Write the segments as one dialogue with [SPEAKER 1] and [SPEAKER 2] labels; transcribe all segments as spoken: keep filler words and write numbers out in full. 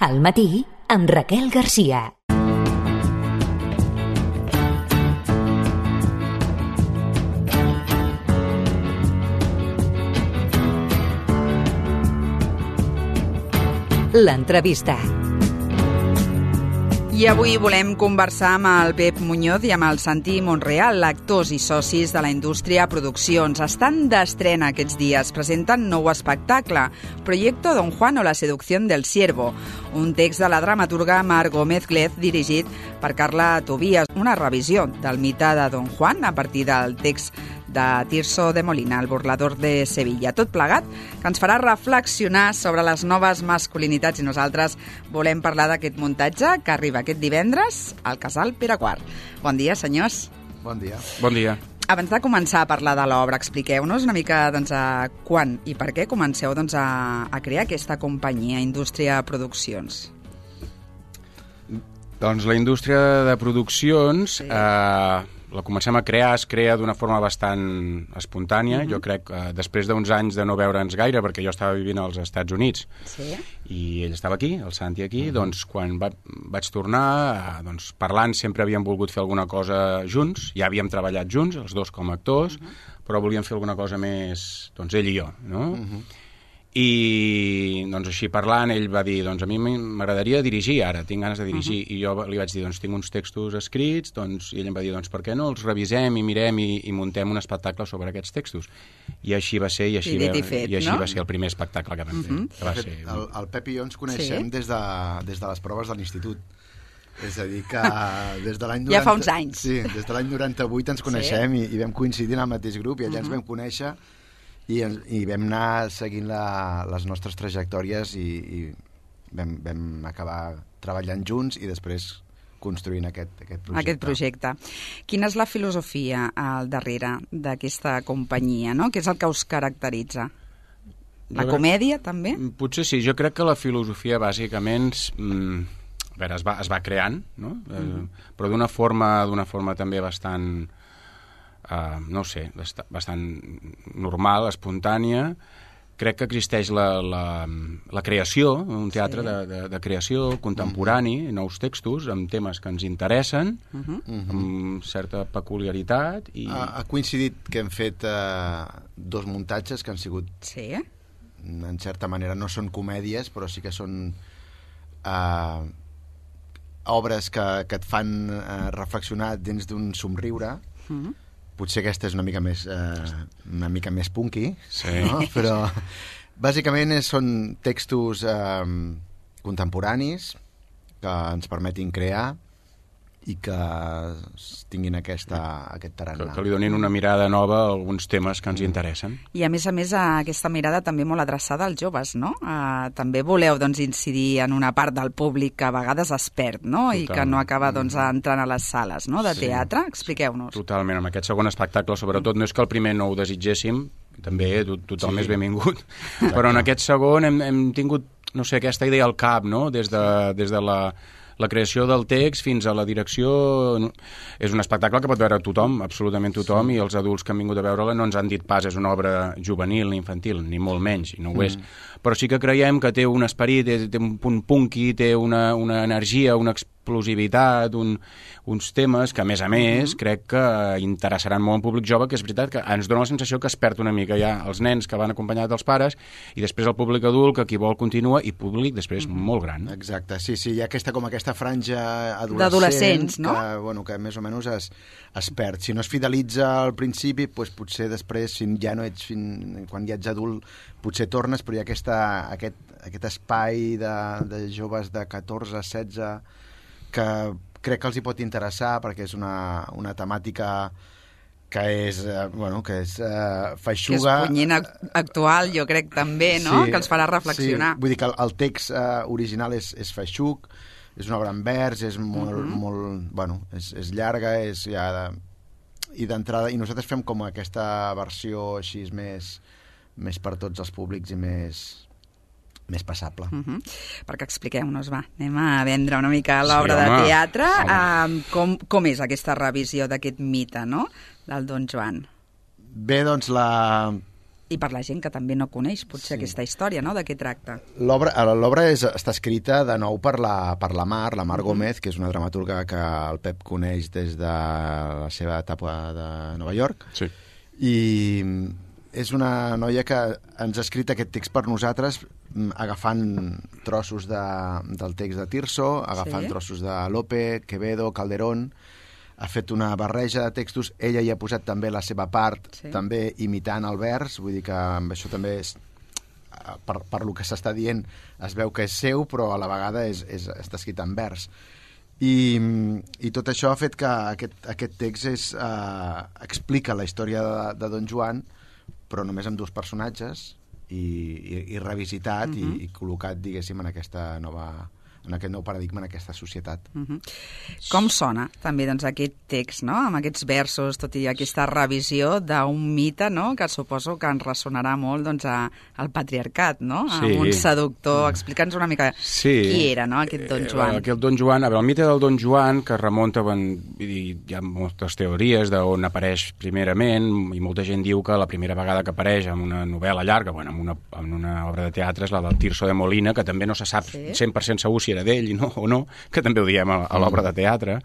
[SPEAKER 1] Al matí, amb Raquel Garcia. L'entrevista.
[SPEAKER 2] I avui volem conversar amb el Pep Muñoz i amb el Santi Monreal, actors i socis de la indústria Produccions. Estan d'estrena aquests dies, presenten nou espectacle, Proyecto Don Juan o la seducción del siervo, un text de la dramaturga Mar Gómez Glez dirigit per Carla Tobías, una revisió del mite de Don Juan a partir del text de Tirso de Molina, el burlador de Sevilla. Tot plegat que ens farà reflexionar sobre les noves masculinitats i nosaltres volem parlar d'aquest muntatge que arriba aquest divendres al Casal Pere quart. Bon dia, senyors.
[SPEAKER 3] Bon dia.
[SPEAKER 4] Bon dia.
[SPEAKER 2] Abans de començar a parlar de l'obra, expliqueu-nos una mica doncs, a quan i per què comenceu doncs, a, a crear aquesta companyia, Indústria Produccions.
[SPEAKER 4] Doncs la indústria de produccions... Sí. Eh, la comencem a crear, es crea d'una forma bastant espontània. Uh-huh. Jo crec que eh, després d'uns anys de no veure'ns gaire, perquè jo estava vivint als Estats Units, sí. I ell estava aquí, el Santi aquí, uh-huh. Doncs quan va, vaig tornar, eh, doncs, parlant sempre havíem volgut fer alguna cosa junts, ja havíem treballat junts, els dos com a actors, uh-huh. Però volíem fer alguna cosa més, doncs ell i jo, no? Uh-huh. I doncs així parlant ell va dir, doncs a mi m'agradaria dirigir ara, tinc ganes de dirigir, uh-huh. I jo li vaig dir, doncs tinc uns textos escrits, doncs, i ell em va dir, doncs per què no els revisem i mirem i, i muntem un espectacle sobre aquests textos. I així va ser, i així, va, fet, i així no? va ser el primer espectacle que vam fer. Uh-huh. Que va ser...
[SPEAKER 3] el, el Pep i jo ens coneixem sí. des, de, des de les proves de l'institut. És a dir, que des de l'any noranta...
[SPEAKER 2] Ja fa uns anys.
[SPEAKER 3] Sí, des de l'any noranta-vuit ens coneixem sí. i, i vam coincidir en el mateix grup i allà uh-huh. ens vam conèixer. I, i vam anar seguint la, les nostres trajectòries i, i vam, vam acabar treballant junts i després construint aquest, aquest projecte.
[SPEAKER 2] Aquest projecte. Quina és la filosofia al darrere d'aquesta companyia, no? Què és el que us caracteritza? La jo comèdia, crec, també? Potser
[SPEAKER 4] sí. Jo crec que la filosofia, bàsicament, mm, a veure, es va, es va creant, no? Mm-hmm. eh, però d'una forma, d'una forma també bastant... Uh, no ho sé, bastant normal, espontània. Crec que existeix la, la, la creació, un teatre sí. de, de, de creació contemporani, uh-huh. nous textos amb temes que ens interessen, uh-huh. amb certa peculiaritat. I...
[SPEAKER 3] Ha, ha coincidit que hem fet uh, dos muntatges que han sigut,
[SPEAKER 2] sí.
[SPEAKER 3] en certa manera, no són comèdies, però sí que són uh, obres que, que et fan uh, reflexionar dins d'un somriure. Uh-huh. Potser aquesta és una mica més eh, una mica més punky,
[SPEAKER 4] sí.
[SPEAKER 3] No? Però bàsicament són textos eh, contemporanis que ens permetin crear i que tinguin aquesta, aquest tarannà.
[SPEAKER 4] Que, que li donin una mirada nova a alguns temes que ens mm. interessen.
[SPEAKER 2] I a més a més aquesta mirada també molt adreçada als joves, no? Uh, també voleu doncs, incidir en una part del públic que a vegades es perd, no? Total. I que no acaba doncs, entrant a les sales no? de sí. teatre. Expliqueu-nos.
[SPEAKER 4] Totalment. Amb aquest segon espectacle, sobretot, no és que el primer no ho desitgéssim, també tothom sí. és benvingut, però en aquest segon hem, hem tingut, no sé, aquesta idea al cap, no? Des de, des de la... la creació del text fins a la direcció. És un espectacle que pot veure tothom, absolutament tothom, sí. I els adults que han vingut a veure-la no ens han dit pas és una obra juvenil ni infantil, ni molt menys, i no ho mm. és. Però sí que creiem que té un esperit, té, té un punt punky, té una, una energia, una explosivitat, un, uns temes que, a més a més, mm. crec que interessaran molt al públic jove, que és veritat que ens dona la sensació que es perd una mica ja els nens que van acompanyats dels pares i després el públic adult que qui vol continua i públic després mm. molt gran.
[SPEAKER 3] Exacte, sí, sí, hi ha aquesta, com aquesta franja adolescent
[SPEAKER 2] d'adolescents, no?
[SPEAKER 3] Que, bueno, que més o menys es, es perd. Si no es fidelitza al principi, doncs potser després, si ja no ets, fin, quan ja ets adult, potser tornes, però hi ha aquesta, aquest, aquest espai de, de joves de catorze, setze, que crec que els hi pot interessar perquè és una, una temàtica que és, eh, bueno, que és eh, feixuga.
[SPEAKER 2] Que és punyent actual, jo crec també, no? Sí, que els farà reflexionar.
[SPEAKER 3] Sí. Vull dir que el, el text eh, original és, és feixuc, és una obra en vers, és molt, uh-huh. molt bueno, és, és llarga, és ja de, i d'entrada, i nosaltres fem com aquesta versió així més, més per tots els públics i més... més passable.
[SPEAKER 2] Uh-huh. Perquè expliqueu-nos, va, anem a vendre una mica l'obra sí, de teatre. Uh, com, com és aquesta revisió d'aquest mite, no?, del Don Joan?
[SPEAKER 3] Bé, doncs, la...
[SPEAKER 2] I per la gent que també no coneix potser sí. aquesta història, no?, de què tracta.
[SPEAKER 3] L'obra l'obra és, està escrita de nou per la, per la Mar, la Mar uh-huh. Gómez, que és una dramaturga que el Pep coneix des de la seva etapa de Nova York.
[SPEAKER 4] Sí.
[SPEAKER 3] I és una noia que ens ha escrit aquest text per nosaltres agafant trossos de, del text de Tirso, agafant sí. trossos de Lope, Quevedo, Calderón. Ha fet una barreja de textos, ella hi ha posat també la seva part, sí. també imitant el vers, vull dir que amb això també és, per, per lo que s'està dient es veu que és seu, però a la vegada és, és, està escrit en vers. I, i tot això ha fet que aquest, aquest text és, eh, explica la història de, de Don Joan, però només amb dos personatges, i, i, i revisitat uh-huh. i, i col·locat, diguéssim, en aquesta nova... en aquest nou paradigma, en aquesta societat.
[SPEAKER 2] Uh-huh. Com sona també doncs, aquest text, no?, amb aquests versos, tot i aquesta revisió d'un mite, no?, que suposo que ens ressonarà molt doncs, a, al patriarcat, no?, sí. amb un seductor. Explica'ns una mica sí. qui era, no?, aquest Don Joan.
[SPEAKER 4] Eh, aquest Don Joan, a veure, el mite del Don Joan, que remunta, ben, hi ha moltes teories d'on apareix primerament, i molta gent diu que la primera vegada que apareix en una novel·la llarga, bueno, en una, en una obra de teatre, és la del Tirso de Molina, que també no se sap sí. cent per cent segur si era d'ell no, o no, que també ho diem a, a l'obra de teatre.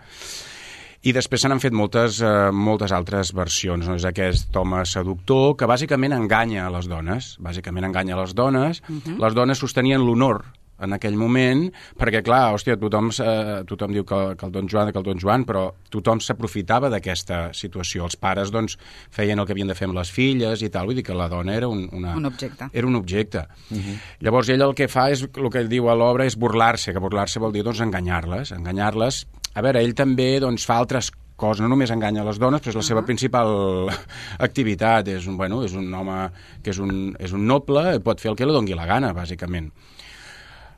[SPEAKER 4] I després se n'han fet moltes, eh, moltes altres versions. No? És aquest home seductor que bàsicament enganya a les dones. Bàsicament enganya a les dones. Uh-huh. Les dones sostenien l'honor en aquell moment, perquè, clar, hòstia, tothom, eh, tothom diu que, que el Don Joan, que el Don Joan, però tothom s'aprofitava d'aquesta situació. Els pares, doncs, feien el que havien de fer amb les filles i tal, vull dir que la dona era un, una,
[SPEAKER 2] un objecte.
[SPEAKER 4] Era un objecte. Uh-huh. Llavors, ell el que fa és, el que ell diu a l'obra és burlar-se, que burlar-se vol dir, doncs, enganyar-les. Enganyar-les. A veure, ell també, doncs, fa altres coses, no només enganya les dones, però és la uh-huh. seva principal activitat. És un, bueno, és un home que és un, és un noble, pot fer el que li doni la gana, bàsicament.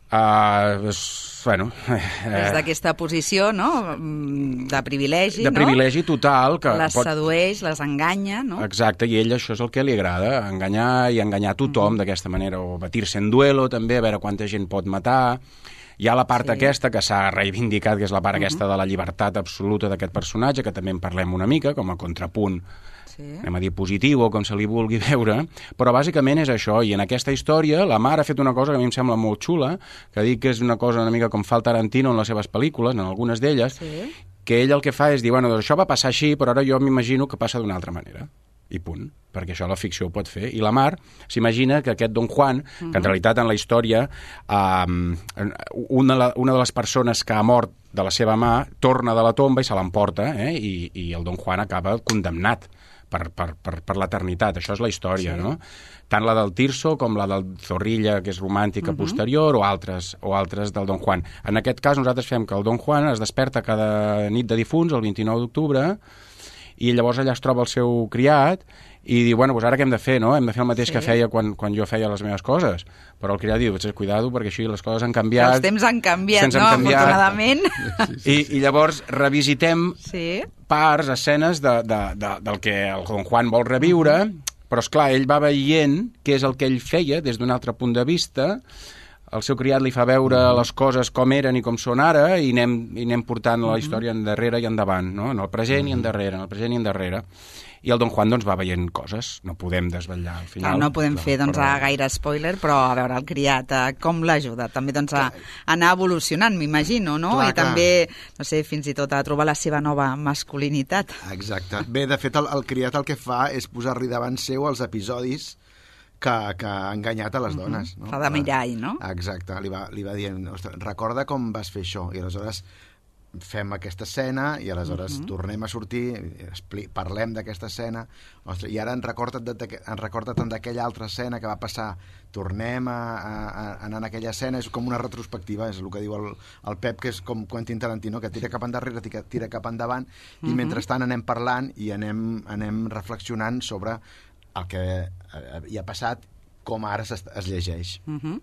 [SPEAKER 4] Uh, és, bueno, eh,
[SPEAKER 2] des d'aquesta posició, no?, de privilegi,
[SPEAKER 4] de privilegi
[SPEAKER 2] no?
[SPEAKER 4] total, que
[SPEAKER 2] les
[SPEAKER 4] pot...
[SPEAKER 2] sedueix, les enganya, no?
[SPEAKER 4] Exacte, i ell això és el que li agrada, enganyar i enganyar tothom mm-hmm. d'aquesta manera, o batir-se en duelo també, a veure quanta gent pot matar. Hi ha la part sí. aquesta que s'ha reivindicat, que és la part mm-hmm. aquesta de la llibertat absoluta d'aquest personatge, que també en parlem una mica, com a contrapunt, sí. anem a dir positiu, o com se li vulgui veure, però bàsicament és això, i en aquesta història la Mar ha fet una cosa que a mi em sembla molt xula, que dic que és una cosa una mica com fa el Tarantino en les seves pel·lícules, en algunes d'elles, sí. que ell el que fa és dir, bueno, doncs això va passar així, però ara jo m'imagino que passa d'una altra manera. I punt, perquè això la ficció ho pot fer. I la Mar s'imagina que aquest Don Juan, uh-huh. que en realitat en la història um, una, una de les persones que ha mort de la seva mà torna de la tomba i se l'emporta, eh? I, i el Don Juan acaba condemnat per, per, per, per l'eternitat. Això és la història, sí. no? Tant la del Tirso com la del Zorrilla, que és romàntica uh-huh. posterior, o altres, o altres del Don Juan. En aquest cas nosaltres fem que el Don Juan es desperta cada nit de difunts, el vint-i-nou d'octubre, i llavors allà es troba el seu criat i diu, bueno, doncs ara què hem de fer, no? Hem de fer el mateix sí. que feia quan, quan jo feia les meves coses. Però el criat diu, cuidado, perquè així les coses han canviat.
[SPEAKER 2] Els temps han canviat,
[SPEAKER 4] no?
[SPEAKER 2] Han canviat. Afortunadament.
[SPEAKER 4] Sí, sí. I, I llavors revisitem
[SPEAKER 2] sí.
[SPEAKER 4] parts, escenes de, de, de, del que el Don Juan vol reviure, però, esclar, ell va veient què és el que ell feia des d'un altre punt de vista. El seu criat li fa veure les coses com eren i com són ara i anem, i anem portant la història endarrere i endavant, no? En el present i endarrere, en el present i endarrere. I el Don Juan doncs, va veient coses, no podem desvetllar al final.
[SPEAKER 2] Clar, no podem
[SPEAKER 4] però,
[SPEAKER 2] fer doncs,
[SPEAKER 4] però...
[SPEAKER 2] gaire spoiler, però a veure, el criat, com l'ajuda? També doncs, a anar evolucionant, m'imagino, no?
[SPEAKER 3] Clar,
[SPEAKER 2] I clar. també, no sé, fins i tot a trobar la seva nova masculinitat.
[SPEAKER 3] Exacte. Bé, de fet, el, el criat el que fa és posar-li davant seu els episodis que, que ha enganyat a les uh-huh. dones. No?
[SPEAKER 2] Fa de mirall, no?
[SPEAKER 3] Exacte, li va, li va dient, recorda com vas fer això, i aleshores fem aquesta escena i aleshores uh-huh. tornem a sortir, parlem d'aquesta escena, ostres, i ara en recorda't, de, en recorda't d'aquella altra escena que va passar, tornem a, a, a anar en aquella escena, és com una retrospectiva, és el que diu el, el Pep, que és com Quentin Tarantino, que tira cap endarrere, tira, tira cap endavant, uh-huh. i mentrestant anem parlant i anem, anem reflexionant sobre el que hi ha passat, com ara es, es llegeix.
[SPEAKER 2] Uh-huh.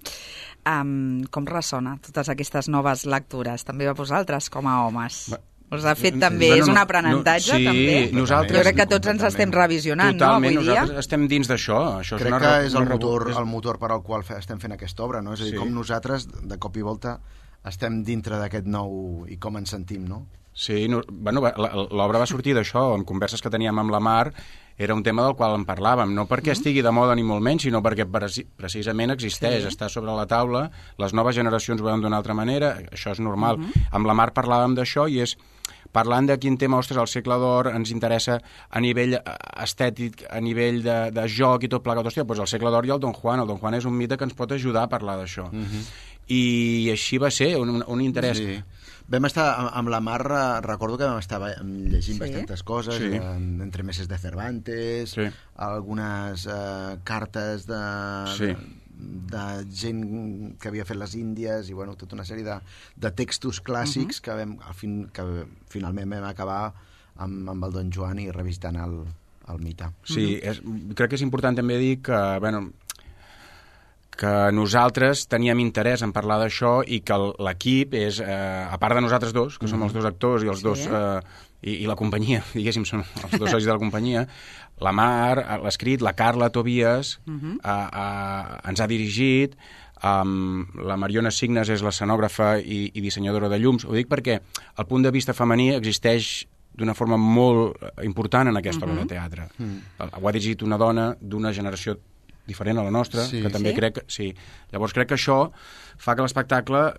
[SPEAKER 2] um, com ressona totes aquestes noves lectures? També va vosaltres com a homes? Va. Us ha fet també, no, no, és un aprenentatge, no, sí, també?
[SPEAKER 4] Nosaltres,
[SPEAKER 2] jo crec que tots ens estem revisionant,
[SPEAKER 4] totalment,
[SPEAKER 2] no, avui dia?
[SPEAKER 4] Nosaltres estem dins d'això. Això
[SPEAKER 3] crec
[SPEAKER 4] és una,
[SPEAKER 3] que és el
[SPEAKER 4] una
[SPEAKER 3] motor,
[SPEAKER 4] és...
[SPEAKER 3] el motor per al qual estem fent aquesta obra, no? És a dir, sí. com nosaltres, de cop i volta, estem dintre d'aquest nou i com ens sentim, no?
[SPEAKER 4] Sí, no, bueno, l'obra va sortir d'això, en converses que teníem amb la Mar, era un tema del qual en parlàvem, no perquè mm-hmm. estigui de moda ni molt menys, sinó perquè precisament existeix, sí. està sobre la taula, les noves generacions ho veuen d'una altra manera, això és normal. Mm-hmm. Amb la Mar parlàvem d'això i és parlant de quin tema, ostres, el segle d'or ens interessa a nivell estètic, a nivell de, de joc i tot plegat. Hòstia, doncs el segle d'or i el Don Juan. El Don Juan és un mite que ens pot ajudar a parlar d'això. Mm-hmm. I així va ser, un, un interès.
[SPEAKER 3] Sí. Vam estar amb la Mar, recordo que vam estar llegint sí. bastantes coses, sí. entremeses de Cervantes, sí. algunes eh, cartes de, sí. de, de gent que havia fet les Índies, i bueno, tota una sèrie de, de textos clàssics uh-huh. que, vam, al fin, que finalment vam acabar amb, amb el Don Joan i revisitant el, el mite.
[SPEAKER 4] Sí, uh-huh. és, crec que és important també dir que, bueno, que nosaltres teníem interès en parlar d'això i que l'equip és, eh, a part de nosaltres dos, que mm-hmm. som els dos actors i els sí. dos eh, i, i la companyia, diguéssim, són els dos socis de la companyia, la Mar, l'escrit, la Carla Tobias, mm-hmm. a, a, ens ha dirigit, um, la Mariona Signes és l'escenògrafa i, i dissenyadora de llums. Ho dic perquè el punt de vista femení existeix d'una forma molt important en aquesta mm-hmm. obra de teatre. Mm. Ho ha dirigit una dona d'una generació diferent a la nostra, sí. que també sí? crec que... Sí. Llavors crec que això fa que l'espectacle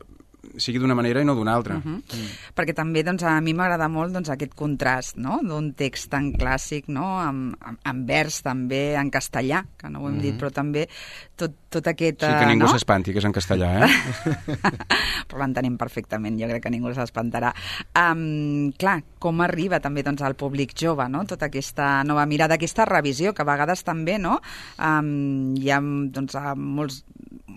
[SPEAKER 4] sigui d'una manera i no d'una altra.
[SPEAKER 2] Uh-huh. mm. Perquè també doncs, a mi m'agrada molt doncs, aquest contrast, no?, d'un text tan clàssic, no?, amb, amb, amb vers també en castellà, que no ho hem uh-huh. dit, però també tot, tot aquest...
[SPEAKER 4] Sí, que ningú
[SPEAKER 2] no?
[SPEAKER 4] s'espanti, que és en castellà, eh?
[SPEAKER 2] Però l'entenem perfectament, jo crec que ningú s'espantarà. Um, clar, com arriba també doncs, al públic jove, no?, tota aquesta nova mirada, aquesta revisió, que a vegades també, no?, um, hi ha doncs, molts,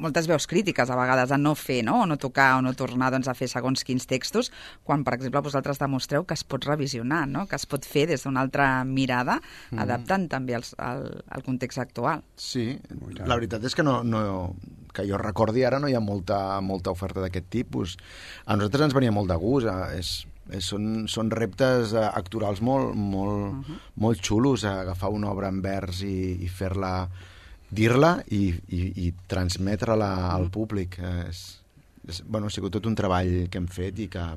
[SPEAKER 2] moltes veus crítiques a vegades a no fer, no?, o no tocar, o no tornar doncs, a fer segons quins textos, quan, per exemple, vosaltres demostreu que es pot revisionar, no?, que es pot fer des d'una altra mirada, mm. adaptant també als, al, al context actual.
[SPEAKER 3] Sí, la veritat és que, no, no, que jo recordi ara no hi ha molta, molta oferta d'aquest tipus. A nosaltres ens venia molt de gust, és, és, són, són reptes actorals molt, molt, uh-huh. molt xulos, agafar una obra en vers i, i fer-la, dir-la i, i, i transmetre-la al públic. És, és, bueno, ha sigut tot un treball que hem fet i que,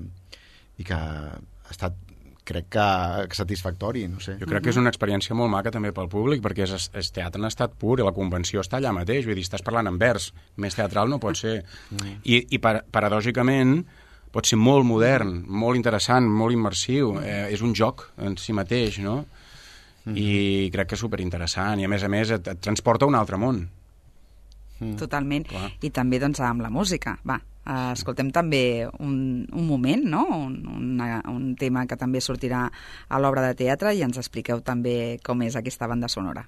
[SPEAKER 3] i que ha estat, crec que, satisfactori, no sé.
[SPEAKER 4] Jo crec que és una experiència molt maca també pel públic, perquè és, és teatre en estat pur i la convenció està allà mateix, vull dir, estàs parlant en vers, més teatral no pot ser. Mm. I, i par paradògicament pot ser molt modern, molt interessant, molt immersiu, eh, és un joc en si mateix, no? Mm-hmm. I crec que és superinteressant i a més a més et, et transporta a un altre món.
[SPEAKER 2] Mm. Totalment. Clar. I també doncs amb la música, va. Uh, escoltem també un, un moment, no? un, una, un tema que també sortirà a l'obra de teatre i ens expliqueu també com és aquesta banda sonora.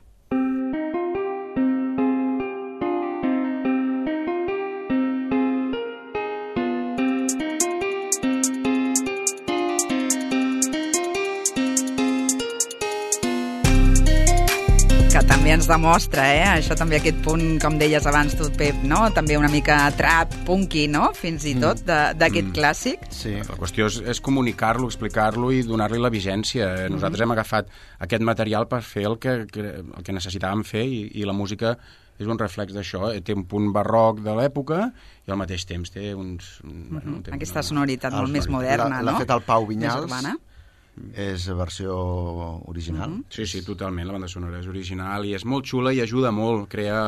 [SPEAKER 2] Que també ens demostra, eh? Això també aquest punt, com deies abans tu, Pep, no? També una mica trap, punky, no? Fins i tot, d'aquest mm. clàssic.
[SPEAKER 4] Sí. La qüestió és, és comunicar-lo, explicar-lo i donar-li la vigència. Nosaltres mm. hem agafat aquest material per fer el que, el que necessitàvem fer i, i la música és un reflex d'això. Té un punt barroc de l'època i al mateix temps té uns...
[SPEAKER 2] Mm-hmm. Bueno, té Aquesta una... sonoritat molt sonoritat. més moderna,
[SPEAKER 3] la,
[SPEAKER 2] no?
[SPEAKER 3] L'ha fet el Pau Vinyals. És versió original?
[SPEAKER 2] Mm-hmm.
[SPEAKER 4] Sí, sí, totalment, la banda sonora és original i és molt xula i ajuda molt, crea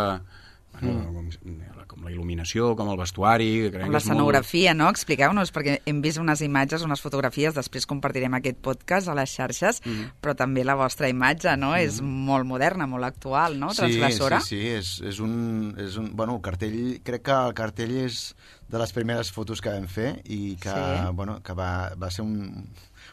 [SPEAKER 4] bueno, mm. com la il·luminació, com el vestuari...
[SPEAKER 2] Com l'escenografia, molt... no? Expliqueu-nos, perquè hem vist unes imatges, unes fotografies, després compartirem aquest podcast a les xarxes, mm. però també la vostra imatge, no? Mm. És molt moderna, molt actual, no? Transgressora.
[SPEAKER 3] Sí, sí, sí, és, és un... És un bueno, el cartell, crec que el cartell és de les primeres fotos que vam fer i que, sí. bueno, que va, va ser un...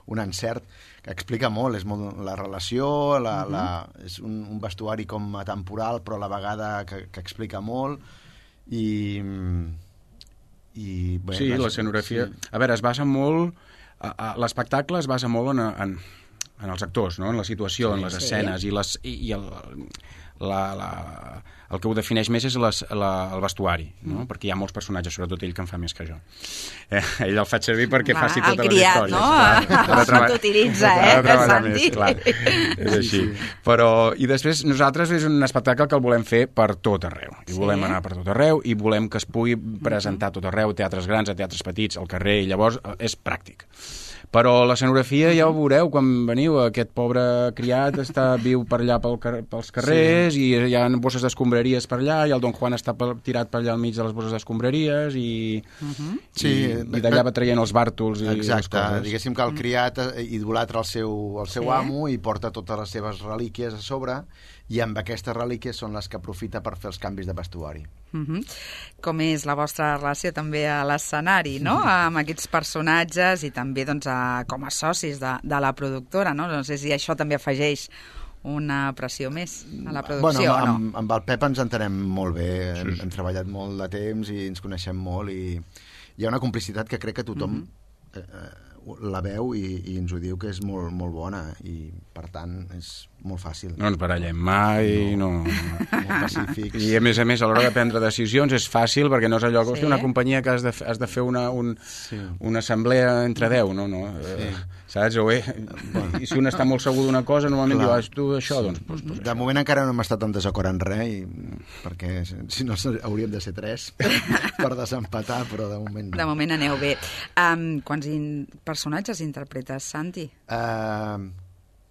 [SPEAKER 3] un encert que explica molt, és molt la relació, la, uh-huh. la, és un, un vestuari com atemporal, però a la vegada que, que explica molt, i... i bé,
[SPEAKER 4] sí, l'escenografia... Sí. A veure, es basa molt... L'espectacle es basa molt en, en, en els actors, no? En la situació, sí, en les escenes, sí. i, les, i, i el, la, la, el que ho defineix més és les, la, el vestuari, no? Mm. Perquè hi ha molts personatges, sobretot ell, que en fa més que jo. Eh, ell el faig servir perquè clar, faci totes les històries.
[SPEAKER 2] No? Això t'utilitza, eh, Santi?
[SPEAKER 4] Més, clar. És així. Però, i després nosaltres és un espectacle que el volem fer per tot arreu. I sí. volem anar per tot arreu i volem que es pugui presentar a tot arreu, teatres grans, a teatres petits, al carrer, i llavors és pràctic. Però l'escenografia ja ho veureu quan veniu, aquest pobre criat està viu per allà pel car pels carrers sí. i hi ha bosses d'escombraries per allà i el Don Juan està tirat per allà al mig de les bosses d'escombraries i, uh -huh. sí, i, i d'allà va traient els bàrtols i
[SPEAKER 3] exacte,
[SPEAKER 4] les coses.
[SPEAKER 3] Diguéssim que el criat idolatra el seu, el seu sí. amo i porta totes les seves relíquies a sobre i amb aquestes relíquies són les que aprofita per fer els canvis de vestuari.
[SPEAKER 2] Uh -huh. Com és la vostra relació també a l'escenari, no? Uh -huh. Amb aquests personatges i també doncs, a, com a socis de, de la productora, no? No sé si això també afegeix una pressió més a la producció
[SPEAKER 3] bueno,
[SPEAKER 2] o no?
[SPEAKER 3] Amb, amb el Pep ens entenem molt bé,
[SPEAKER 4] sí.
[SPEAKER 3] hem, hem treballat molt de temps i ens coneixem molt i hi ha una complicitat que crec que tothom uh -huh. eh, la veu i, i ens ho diu que és molt, molt bona i per tant és molt fàcil.
[SPEAKER 4] No ens barallem mai, no. no.
[SPEAKER 3] Molt pacífics.
[SPEAKER 4] I a més a més, a l'hora de prendre decisions és fàcil perquè no és allò que sí. una companyia que has de, has de fer una, un, sí. una assemblea entre deu, no? no. Sí. Saps? O bé, bueno. I si un està molt segur d'una cosa, normalment Clar. diu, tu això, doncs... doncs, doncs
[SPEAKER 3] de això. Moment encara no hem estat en desacord en res, i, perquè si no hauríem de ser tres per desempatar, però de moment no.
[SPEAKER 2] De moment aneu bé. Um, quants in personatges interpretes, Santi?
[SPEAKER 3] Uh,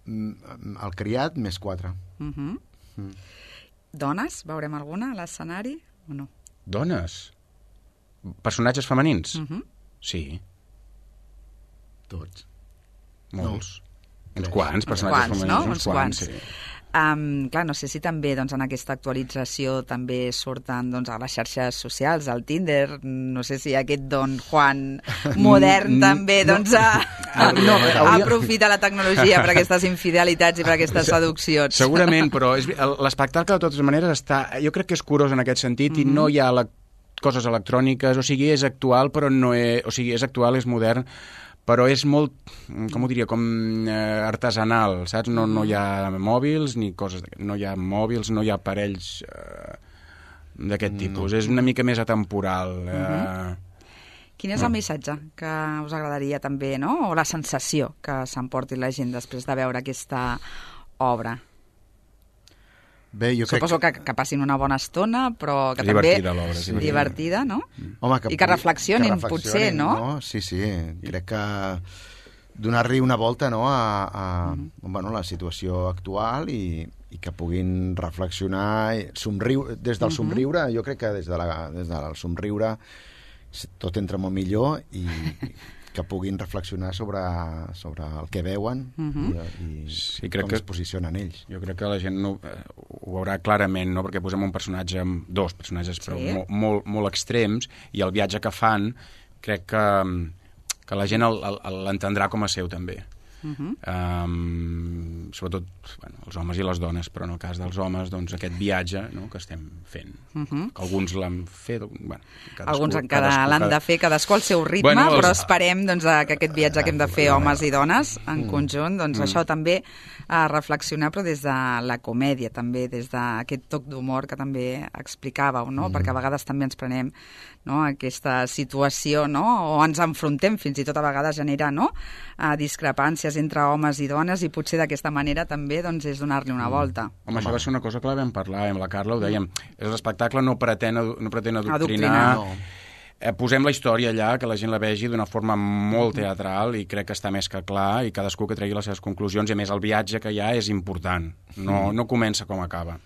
[SPEAKER 3] el criat més quatre.
[SPEAKER 2] Uh -huh. mm. Dones? Veurem alguna a l'escenari o no?
[SPEAKER 4] Dones? Personatges femenins?
[SPEAKER 2] Uh -huh.
[SPEAKER 4] Sí.
[SPEAKER 3] Tots.
[SPEAKER 4] Molts.
[SPEAKER 3] No.
[SPEAKER 4] Uns quants personatges
[SPEAKER 2] quants,
[SPEAKER 4] femenins.
[SPEAKER 2] No?
[SPEAKER 4] Uns quants, sí.
[SPEAKER 2] Um, clar, no sé si també doncs, en aquesta actualització també surten doncs, a les xarxes socials, al Tinder, no sé si aquest Don Juan modern també doncs, a, a, no, hauria... aprofita la tecnologia per aquestes infidelitats i per aquestes seduccions.
[SPEAKER 4] Segurament, però l'espectacle de totes maneres està, jo crec que és curós en aquest sentit mm -hmm. i no hi ha la, coses electròniques, o sigui, és actual, però no és, o sigui, és actual, és modern, però és molt, com ho diria, com eh, artesanal, saps? No, no hi ha mòbils ni coses, no hi ha mòbils, no hi ha aparells eh, d'aquest tipus. No. És una mica més atemporal. Eh.
[SPEAKER 2] Uh-huh. Quin és el missatge que us agradaria també, no? O la sensació que s'emporti la gent després de veure aquesta obra?
[SPEAKER 3] Bé, jo
[SPEAKER 2] Suposo
[SPEAKER 3] crec...
[SPEAKER 2] que, que passin una bona estona, però que
[SPEAKER 4] divertida,
[SPEAKER 2] també...
[SPEAKER 4] l'obra,
[SPEAKER 2] sí. Divertida, no?
[SPEAKER 3] Home, que
[SPEAKER 2] I que reflexionin, que reflexionin potser, no?
[SPEAKER 3] no? Sí, sí, crec que donar-li una volta no, a, a mm. bueno, la situació actual i, i que puguin reflexionar, somriure, des del somriure, mm -hmm. jo crec que des, de la, des del somriure tot entra molt millor i que puguin reflexionar sobre, sobre el que veuen uh -huh. i, i sí, crec com que, es posicionen ells.
[SPEAKER 4] Jo crec que la gent no, eh, ho veurà clarament, no? Perquè posem un personatge, amb dos personatges, però sí. molt, molt, molt extrems, i el viatge que fan crec que, que la gent l'entendrà com a seu també. Uh -huh. um, sobretot bueno, els homes i les dones, però en el cas dels homes doncs aquest viatge no, que estem fent, uh -huh. que alguns l'han fet, bueno, cadascú,
[SPEAKER 2] alguns encara l'han de fer, cadascú al seu ritme, bueno, els... però esperem doncs, que aquest viatge que hem de fer homes i dones en mm. conjunt, doncs mm. això també a reflexionar, però des de la comèdia també, des d'aquest toc d'humor que també explicàveu, no? Mm. Perquè a vegades també ens prenem no, aquesta situació, no? O ens enfrontem, fins i tot a vegades genera no? a discrepàncies entre homes i dones, i potser d'aquesta manera també doncs, és donar-li una volta.
[SPEAKER 4] Home, això va ser una cosa que la vam parlar amb la Carla, ho dèiem, l'espectacle no pretén, no pretén adoctrinar,
[SPEAKER 2] adoctrinar.
[SPEAKER 4] No. Eh, posem la història allà, que la gent la vegi d'una forma molt teatral, i crec que està més que clar, i cadascú que tregui les seves conclusions, i a més el viatge que hi ha és important, no, no comença com acaba.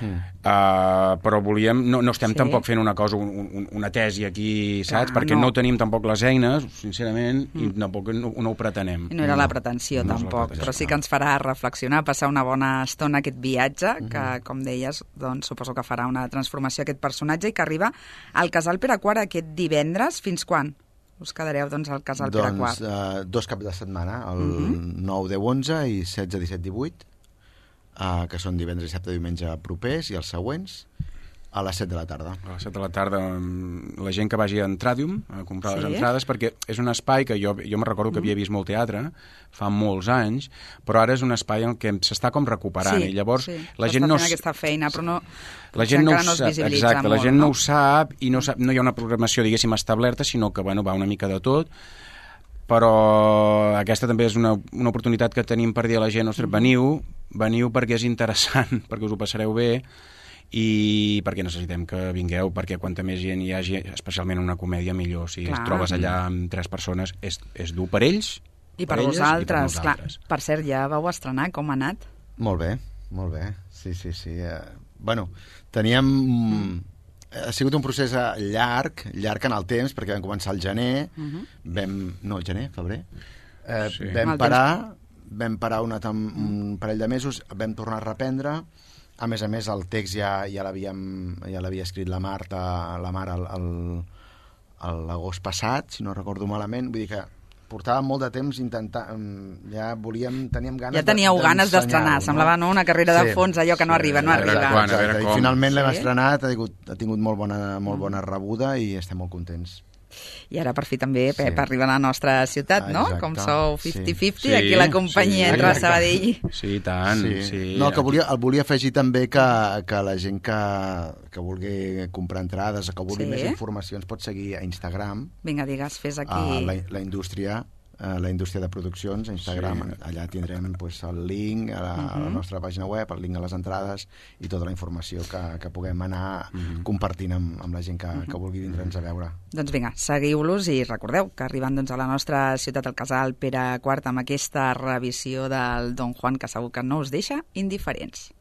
[SPEAKER 4] Mm. Uh, però volíem, no, no estem sí. tampoc fent una cosa, un, un, una tesi aquí, saps? Clar, perquè no. no tenim tampoc les eines, sincerament, mm. i tampoc no, no ho pretenem.
[SPEAKER 2] I no era la pretensió, no, tampoc, no però sí que ens farà reflexionar, passar una bona estona aquest viatge, mm -hmm. que, com deies, doncs, suposo que farà una transformació aquest personatge, i que arriba al Casal Pere quart aquest divendres. Fins quan us quedareu doncs, al Casal
[SPEAKER 3] doncs,
[SPEAKER 2] Pere quart?
[SPEAKER 3] Doncs uh, dos caps de setmana, el mm -hmm. nou, deu, onze i setze, disset, divuit. Uh, que són divendres, dissabte, diumenge propers, i els següents, A les set de la tarda.
[SPEAKER 4] A les set de la tarda, la gent que vagi a Entradium a comprar
[SPEAKER 2] Sí.
[SPEAKER 4] les entrades, perquè és un espai que jo, jo me recordo que havia vist molt teatre fa molts anys, però ara és un espai en què s'està com recuperant,
[SPEAKER 2] Sí,
[SPEAKER 4] i llavors
[SPEAKER 2] sí.
[SPEAKER 4] la
[SPEAKER 2] Està
[SPEAKER 4] gent no...
[SPEAKER 2] fent aquesta feina, però no...
[SPEAKER 4] La gent no ho
[SPEAKER 2] encara no es
[SPEAKER 4] sap,
[SPEAKER 2] visibilitza
[SPEAKER 4] exacte, la
[SPEAKER 2] molt,
[SPEAKER 4] gent no
[SPEAKER 2] no?
[SPEAKER 4] ho sap i no, sap, no hi ha una programació, diguéssim, establerta, sinó que, bueno, va una mica de tot, però aquesta també és una, una oportunitat que tenim per dir a la gent, ostres, veniu, veniu perquè és interessant, perquè us ho passareu bé, i perquè necessitem que vingueu, perquè quanta més gent hi hagi, especialment una comèdia, millor. Si
[SPEAKER 2] Clar.
[SPEAKER 4] es trobes allà amb tres persones, és, és dur per ells,
[SPEAKER 2] I per
[SPEAKER 4] elles,
[SPEAKER 2] vosaltres,
[SPEAKER 4] i per
[SPEAKER 2] clar.
[SPEAKER 4] nosaltres.
[SPEAKER 2] Per cert, ja vau estrenar, com ha anat?
[SPEAKER 3] Molt bé, molt bé. Sí, sí, sí. Uh, bueno, teníem... Mm. Ha sigut un procés llarg, llarg en el temps, perquè vam començar al gener, uh -huh. vam... No, gener, febrer. Uh,
[SPEAKER 4] Sí.
[SPEAKER 3] Vam parar, vam parar una tam... un parell de mesos, vam tornar a reprendre. A més a més, el text ja, ja l'havíem ja l'havia escrit la Marta, la Mar al, al, a l'agost passat, si no recordo malament. Vull dir que portàvem molt de temps intentant... Ja volíem... Teníem ganes
[SPEAKER 2] Ja teníeu
[SPEAKER 3] de,
[SPEAKER 2] ganes d'estrenar,
[SPEAKER 3] no?
[SPEAKER 2] semblava no? Una carrera de
[SPEAKER 3] Sí,
[SPEAKER 2] fons, allò que no
[SPEAKER 3] sí,
[SPEAKER 2] arriba, no
[SPEAKER 3] a
[SPEAKER 2] arriba.
[SPEAKER 3] veure
[SPEAKER 4] Quan, a veure
[SPEAKER 3] Exacte,
[SPEAKER 4] com.
[SPEAKER 3] I finalment l'hem
[SPEAKER 2] Sí?
[SPEAKER 3] estrenat, ha tingut, ha tingut molt bona, molt bona rebuda i estem molt contents.
[SPEAKER 2] I ara per fi també, Pep,
[SPEAKER 3] Sí.
[SPEAKER 2] arriba a la nostra ciutat, no?
[SPEAKER 3] Exacte.
[SPEAKER 2] Com sou
[SPEAKER 3] Sí.
[SPEAKER 2] cinquanta cinquanta,
[SPEAKER 4] Sí,
[SPEAKER 2] aquí la companyia
[SPEAKER 4] sí,
[SPEAKER 2] entre
[SPEAKER 4] exacte.
[SPEAKER 2] Sabadell.
[SPEAKER 4] Sí, i tant. Sí. Sí.
[SPEAKER 3] No, que volia, el volia afegir també que, que la gent que, que vulgui comprar entrades o que vulgui
[SPEAKER 2] Sí.
[SPEAKER 3] més informació ens pot seguir a Instagram,
[SPEAKER 2] Vinga, digues, fes
[SPEAKER 3] a
[SPEAKER 2] aquí...
[SPEAKER 3] la, la indústria a la indústria de produccions, a Instagram.
[SPEAKER 4] Sí.
[SPEAKER 3] Allà tindrem pues, el link a la, a la nostra pàgina web, el link a les entrades i tota la informació que, que puguem anar compartint amb, amb la gent que, que vulgui vindre'ns a veure.
[SPEAKER 2] Doncs vinga, seguiu-los i recordeu que arribant doncs, a la nostra ciutat, al casal Pere quart, amb aquesta revisió del Don Juan, que segur que no us deixa indiferents.